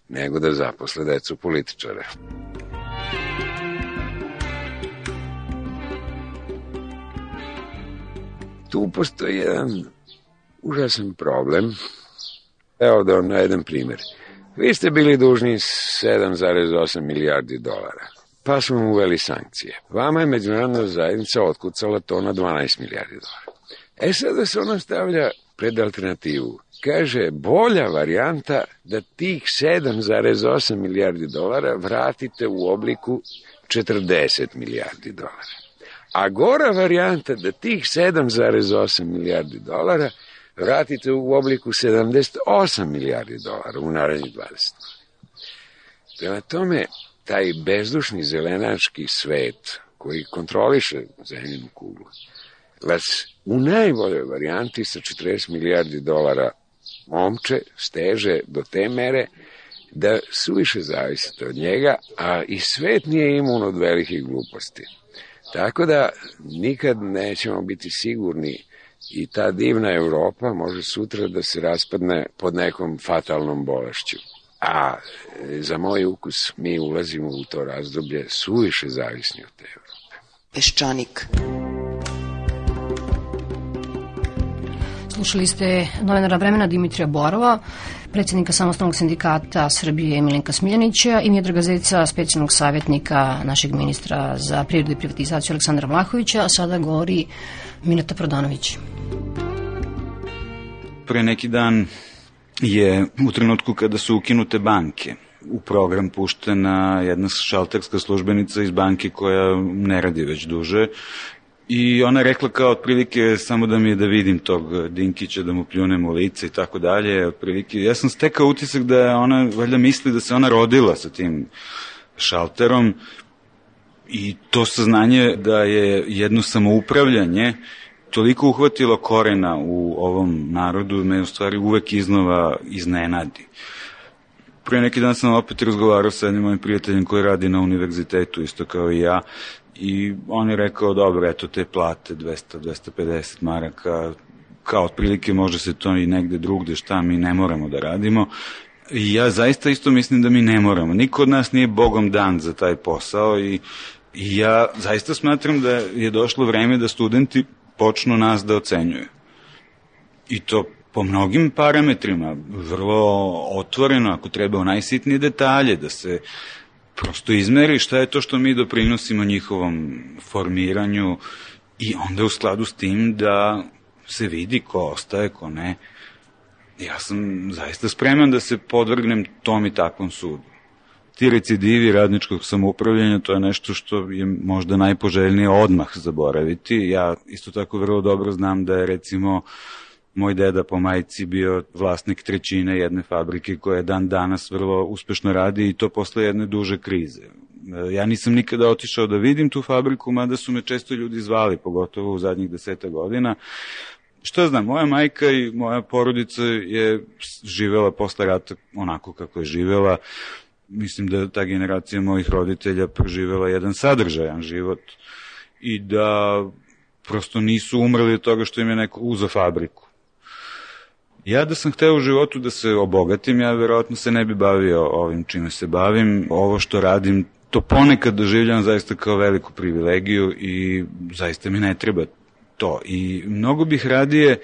nego da zaposle decu političare. Tu postoji jedan užasan problem. Evo da vam navedem primjer. Vi ste bili dužni 7,8 milijardi dolara, pa smo uveli sankcije. Vama je međunarodna zajednica otkucala to na 12 milijardi dolara. Sada se ona stavlja pred alternativu. Kaže, bolja varijanta da tih 7,8 milijardi dolara vratite u obliku 40 milijardi dolara. A gora varijanta da tih 7,8 milijardi dolara vratite u obliku 78 milijardi dolara u narednih 20 godina. Prema tome, taj bezdušni zelenački svet koji kontroliše zemljinu kuglu vas u najboljoj varijanti sa 40 milijardi dolara omče steže do te mere da suviše zavisite od njega, a i svet nije imun od velikih gluposti. Tako da nikad nećemo biti sigurni i ta divna Evropa može sutra da se raspadne pod nekom fatalnom bolešću. A za moj ukus mi ulazimo u to razdoblje suviše zavisni od te Evrope. Peščanik. Slušali ste novinara Vremena Dimitrija Borova, predsjednika Samostalnog sindikata Srbije Milenka Smiljanića i Miodraga Zeca, specijalnog savjetnika našeg ministra za privredu i privatizaciju Aleksandra Vlahovića, a sada govori Mileta Prodanović. Pre neki dan je u trenutku kada su ukinute banke u program puštena jedna šalterska službenica iz banke koja ne radi već duže i ona je rekla kao otprilike samo da mi je da vidim tog Dinkića, da mu pljunem u lice i tako dalje. Otprilike, ja sam stekao utisak da ona valjda misli da se ona rodila sa tim šalterom i to saznanje da je jedno samoupravljanje toliko uhvatilo korena u ovom narodu, me u stvari uvek iznova iznenadi. Prije neki dan sam opet razgovarao sa jednim mojim prijateljem koji radi na univerzitetu, isto kao i ja, i on je rekao, dobro, eto te plate, 200-250 maraka, kao otprilike može se to i negde drugde, šta mi ne moramo da radimo. I ja zaista isto mislim da mi ne moramo. Niko od nas nije bogom dan za taj posao i ja zaista smatram da je došlo vreme da studenti počnu nas da ocenjuju. I to po mnogim parametrima, vrlo otvoreno, ako treba u najsitnije detalje, da se prosto izmeri šta je to što mi doprinosimo njihovom formiranju i onda u skladu s tim da se vidi ko ostaje, ko ne. Ja sam zaista spreman da se podvrgnem tom i takvom sudu. Ti recidivi radničkog samoupravljanja, to je nešto što je možda najpoželjnije odmah zaboraviti. Ja isto tako vrlo dobro znam da je recimo moj deda po majci bio vlasnik trećine jedne fabrike koja dan danas vrlo uspešno radi i to posle jedne duže krize. Ja nisam nikada otišao da vidim tu fabriku, mada su me često ljudi zvali, pogotovo u zadnjih 10 godina. Šta znam, moja majka i moja porodica je živela posle rata onako kako je živela. Mislim da ta generacija mojih roditelja proživela jedan sadržajan život i da prosto nisu umrli od toga što im je neko uzeo fabriku. Ja da sam hteo u životu da se obogatim, ja verovatno se ne bi bavio ovim čime se bavim. Ovo što radim, to ponekad doživljavam zaista kao veliku privilegiju i zaista mi ne treba to. I mnogo bih radije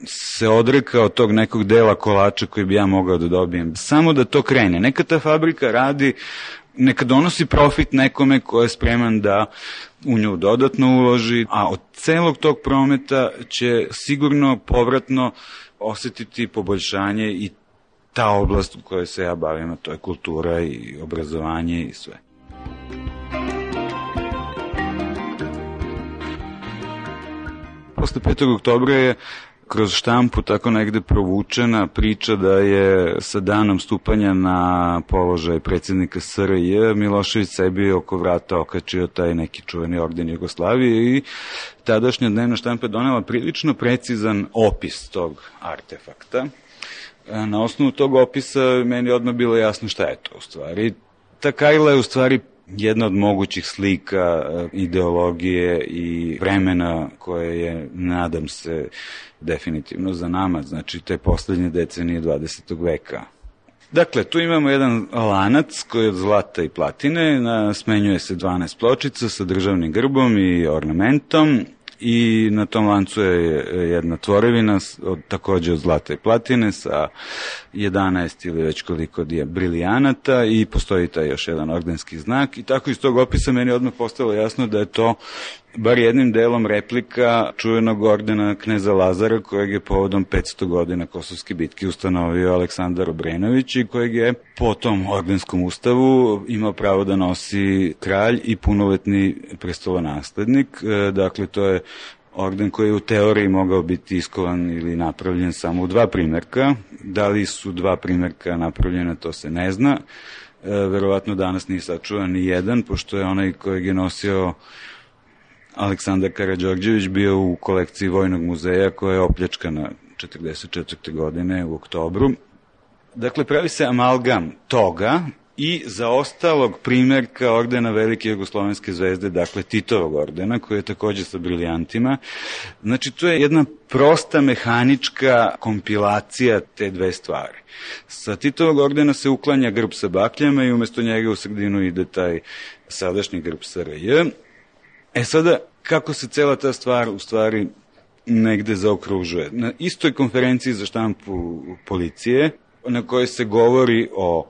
se odrekao tog nekog dela kolača koji bi ja mogao da dobijem. Samo da to krene. Neka ta fabrika radi, neka donosi profit nekome ko je spreman da u nju dodatno uloži, a od celog tog prometa će sigurno povratno osetiti poboljšanje i ta oblast u kojoj se ja bavim, a to je kultura i obrazovanje i sve. Posle 5. oktobra je kroz štampu tako negde provučena priča da je sa danom stupanja na položaj predsjednika SRJ Milošević sebi oko vrata okačio taj neki čuveni orden Jugoslavije i tadašnja dnevna štampa je donela prilično precizan opis tog artefakta. Na osnovu tog opisa meni odmah bilo jasno šta je to u stvari. Ta kajla je u stvari jedna od mogućih slika ideologije i vremena koje je, nadam se, definitivno za nama, znači te poslednje decenije 20. veka. Dakle, tu imamo jedan lanac koji je od zlata i platine, smenjuje se 12 pločica sa državnim grbom i ornamentom i na tom lancu je jedna tvorevina takođe od zlata i platine sa 11 ili već koliko brilijanata i postoji taj još jedan ordenski znak i tako iz tog opisa meni odmah postalo jasno da je to bar jednim delom replika čuvenog ordena kneza Lazara kojeg je povodom 500 godina Kosovske bitke ustanovio Aleksandar Obrenović i kojeg je po tom ordenskom ustavu imao pravo da nosi kralj i punoletni prestolonaslednik. Dakle, to je orden koji je u teoriji mogao biti iskovan ili napravljen samo u 2 primerka. Da li su 2 primerka napravljena, to se ne zna. Verovatno danas nije sačuvan ni jedan, pošto je onaj kojeg je nosio Aleksandar Karađorđević bio u kolekciji Vojnog muzeja koja je opljačkana 1944. godine u oktobru. Dakle, pravi se amalgam toga i zaostalog primerka ordena Velike jugoslovenske zvezde, dakle Titovog ordena, koji je takođe sa brilijantima. Znači, to je jedna prosta mehanička kompilacija te dve stvari. Sa Titovog ordena se uklanja grb sa bakljama i umesto njega u sredinu ide taj sadašnji grb SRJ. Sada, kako se cela ta stvar u stvari negde zaokružuje? Na istoj konferenciji za štampu policije, na kojoj se govori o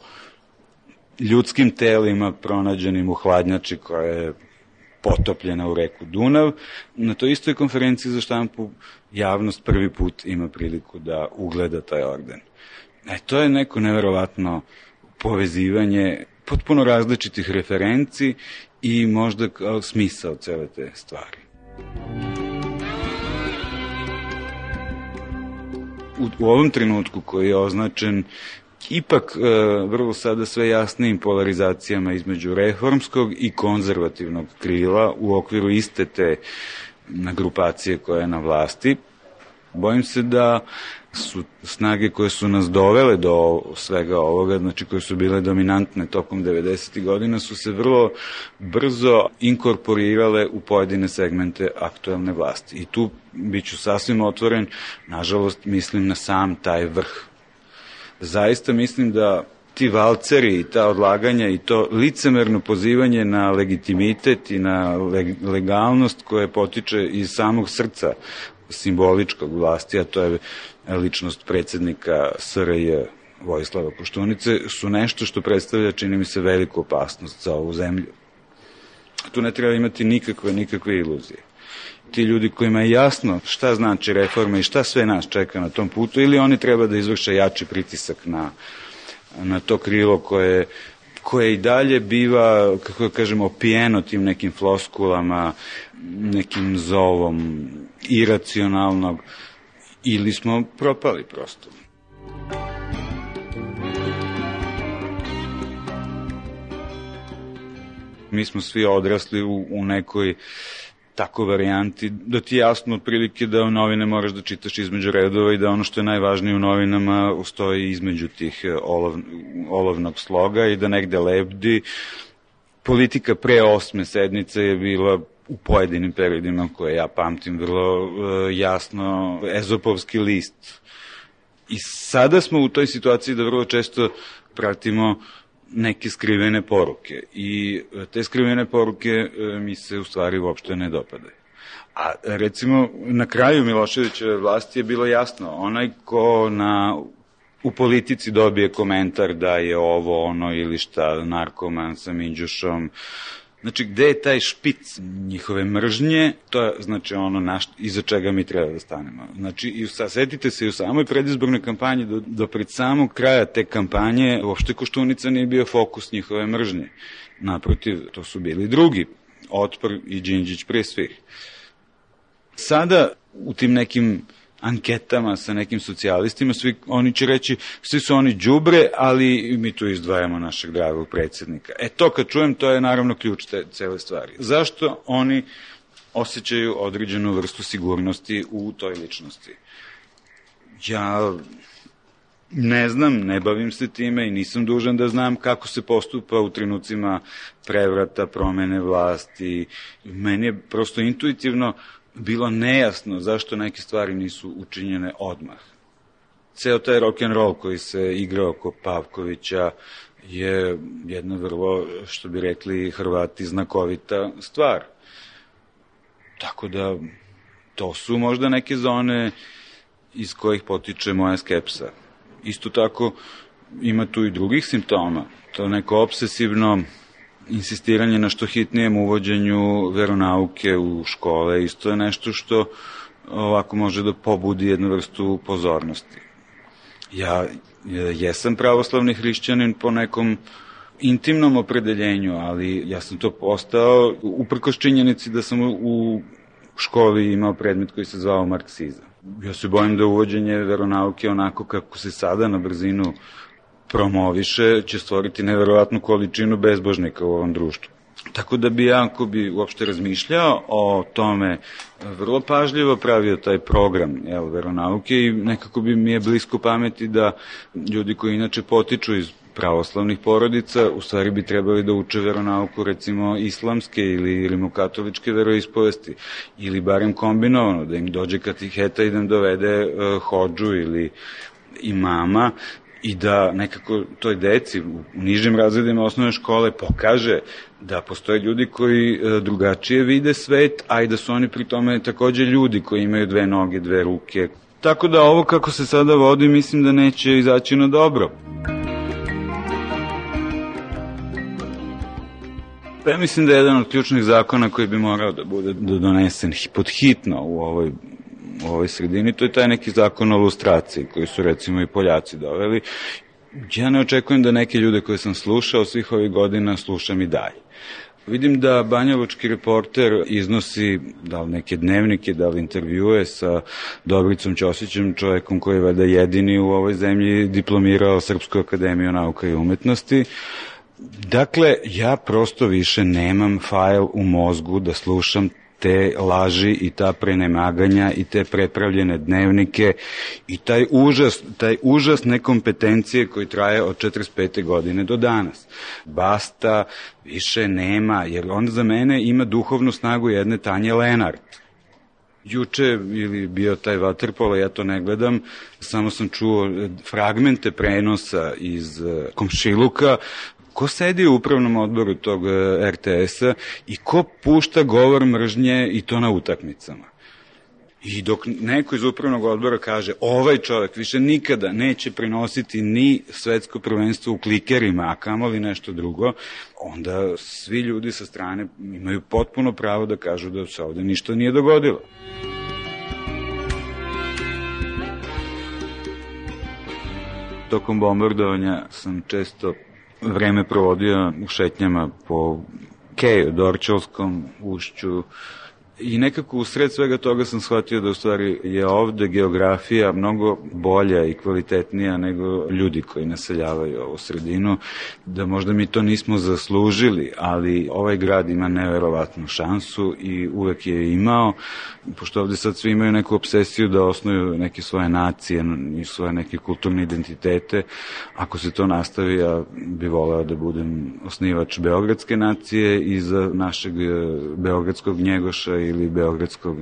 ljudskim telima pronađenim u hladnjači koja je potopljena u reku Dunav, na toj istoj konferenciji za štampu javnost prvi put ima priliku da ugleda taj orden. To je neko neverovatno povezivanje potpuno različitih referenci i možda kao smisao cele te stvari. U ovom trenutku koji je označen ipak vrlo sada sve jasnijim polarizacijama između reformskog i konzervativnog krila u okviru iste te grupacije koja je na vlasti, bojim se da su snage koje su nas dovele do svega ovoga, znači koje su bile dominantne tokom 90. godina, su se vrlo brzo inkorporirale u pojedine segmente aktuelne vlasti. I tu biću sasvim otvoren, nažalost mislim na sam taj vrh. Zaista mislim da ti valceri i ta odlaganja i to licemerno pozivanje na legitimitet i na legalnost koje potiče iz samog srca simboličkog vlasti, a to je ličnost predsjednika SRJ Vojislava Koštunice, su nešto što predstavlja, čini mi se, veliku opasnost za ovu zemlju. Tu ne treba imati nikakve iluzije. Ti ljudi kojima je jasno šta znači reforma i šta sve nas čeka na tom putu, ili oni treba da izvrše jači pritisak na to krilo koje i dalje biva, kako kažemo, opijeno tim nekim floskulama, nekim zovom iracionalnog, ili smo propali prosto. Mi smo svi odrasli u nekoj tako varijanti, da ti je jasno otprilike da u novine moraš da čitaš između redova i da ono što je najvažnije u novinama stoji između tih olovnog sloga i da negde lebdi. Politika pre 8. sednice je bila u pojedinim periodima koje ja pamtim vrlo jasno ezopovski list. I sada smo u toj situaciji da vrlo često pratimo neke skrivene poruke i te skrivene poruke mi se u stvari uopšte ne dopadaju. A recimo na kraju Miloševićeve vlasti je bilo jasno, onaj ko u politici dobije komentar da je ovo ono ili šta, narkoman sa minđušom, znači gde je taj špic njihove mržnje, to je znači ono iza čega mi treba da stanemo. Znači, setite se i u samoj predizbornoj kampanji do pred samog kraja te kampanje uopšte Koštunica nije bio fokus njihove mržnje. Naprotiv, to su bili drugi, Otpor i Đinđić pre svih. Sada u tim nekim anketama sa nekim socijalistima, svi oni će reći, svi su oni đubre, ali mi tu izdvajamo našeg dragog predsjednika. To kad čujem, to je naravno ključ te cele stvari. Zašto oni osjećaju određenu vrstu sigurnosti u toj ličnosti? Ja ne znam, ne bavim se time i nisam dužan da znam kako se postupa u trenucima prevrata, promene vlasti. Meni je prosto intuitivno bilo nejasno zašto neke stvari nisu učinjene odmah. Ceo taj rock'n'roll koji se igra oko Pavkovića je jedna vrlo, što bi rekli Hrvati, znakovita stvar. Tako da, to su možda neke zone iz kojih potiče moja skepsa. Isto tako, ima tu i drugih simptoma. To neko obsesivno insistiranje na što hitnijem uvođenju veronauke u škole, isto je nešto što ovako može da pobudi jednu vrstu pozornosti. Ja jesam pravoslavni hrišćanin po nekom intimnom opredeljenju, ali ja sam to postao uprkos činjenici da sam u školi imao predmet koji se zvao marksizam. Ja se bojim da uvođenje veronauke onako kako se sada na brzinu promoviše će stvoriti neverovatnu količinu bezbožnika u ovom društvu. Tako da bi ja, ako bi uopšte razmišljao o tome, vrlo pažljivo pravio taj program veronauke i nekako bi mi je blisko pameti da ljudi koji inače potiču iz pravoslavnih porodica, u stvari bi trebali da uče veronauku, recimo islamske ili rimokatoličke veroispovesti, ili barem kombinovano, da im dođe katiheta i da im dovede hodžu ili imama, i da nekako toj deci u nižim razredima osnovne škole pokaže da postoje ljudi koji drugačije vide svet, a i da su oni pri tome takođe ljudi koji imaju 2 noge, 2 ruke. Tako da ovo kako se sada vodi, mislim da neće izaći na dobro. Pa ja mislim da je jedan od ključnih zakona koji bi morao da bude donesen podhitno u ovoj sredini, to je taj neki zakon o lustraciji koji su recimo i Poljaci doveli. Ja ne očekujem da neke ljude koje sam slušao svih ovih godina slušam i dalje. Vidim da banjalučki reporter iznosi da li neke dnevnike, da li intervjue sa Dobricom Ćosićem, čovekom koji je valjda jedini u ovoj zemlji diplomirao Srpsku akademiju nauka i umetnosti. Dakle, ja prosto više nemam fajl u mozgu da slušam te laži i ta prenemaganja i te prepravljene dnevnike i taj užas nekompetencije koji traje od 45. godine do danas. Basta, više nema, jer onda za mene ima duhovnu snagu jedne Tanje Lenart. Juče ili bio taj vaterpolo, ja to ne gledam, samo sam čuo fragmente prenosa iz komšiluka. Ko sedi u upravnom odboru tog RTS-a i ko pušta govor mržnje i to na utakmicama? I dok neko iz upravnog odbora kaže ovaj čovjek više nikada neće prenositi ni svetsko prvenstvo u klikerima, a kamoli nešto drugo, onda svi ljudi sa strane imaju potpuno pravo da kažu da se ovde ništa nije dogodilo. Tokom bombardovanja sam često vreme provodio u šetnjama po Keju, Dorćolskom ušću i nekako u sred svega toga sam shvatio da u stvari je ovde geografija mnogo bolja i kvalitetnija nego ljudi koji naseljavaju ovu sredinu, da možda mi to nismo zaslužili, ali ovaj grad ima neverovatnu šansu i uvek je imao, pošto ovde sad svi imaju neku obsesiju da osnuju neke svoje nacije i svoje neke kulturne identitete. Ako se to nastavi, ja bih voleo da budem osnivač beogradske nacije i za našeg beogradskog Njegoša ili beogradskog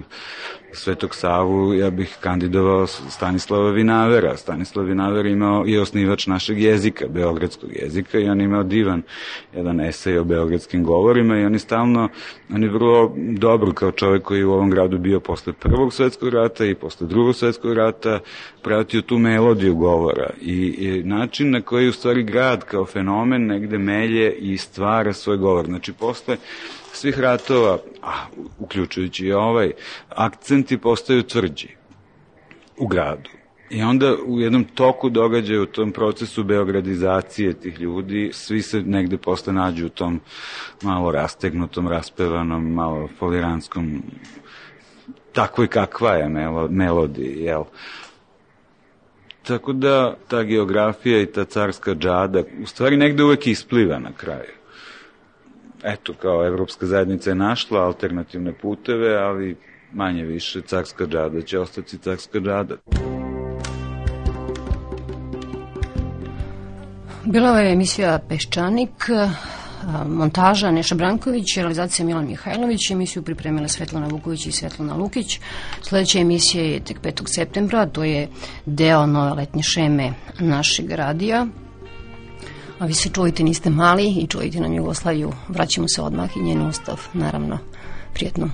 Svetog Savu, ja bih kandidovao Stanislava Vinavera. Stanislav Vinaver je osnivač našeg jezika, beogradskog jezika, i on imao divan jedan esej o beogradskim govorima i on je vrlo dobro kao čovjek koji je u ovom gradu bio posle Prvog svetskog rata i posle Drugog svetskog rata pratio tu melodiju govora i način na koji u stvari grad kao fenomen negde melje i stvara svoj govor. Znači, posle svih ratova, uključujući i ovaj, akcenti postaju tvrđi u gradu. I onda u jednom toku događaja, u tom procesu beogradizacije tih ljudi, svi se negde posle nađu u tom malo rastegnutom, raspevanom, malo foliranskom takvoj kakva je melodiji, jel? Tako da ta geografija i ta carska džada u stvari negde uvek ispliva na kraju. Eto, kao Evropska zajednica je našla alternativne puteve, ali manje više carska džada će ostati carska džada. Bila je emisija Peščanik, montaža Neša Branković, realizacija Milan Mihajlović, emisiju pripremila Svetlana Vuković i Svetlana Lukić. Sledeća emisija je tek 5. septembra, to je deo nove letnje šeme našeg radija. A vi se čujte, niste mali i čujte nam Jugoslaviju. Vraćamo se odmah i njen ustav, naravno. Prijetno.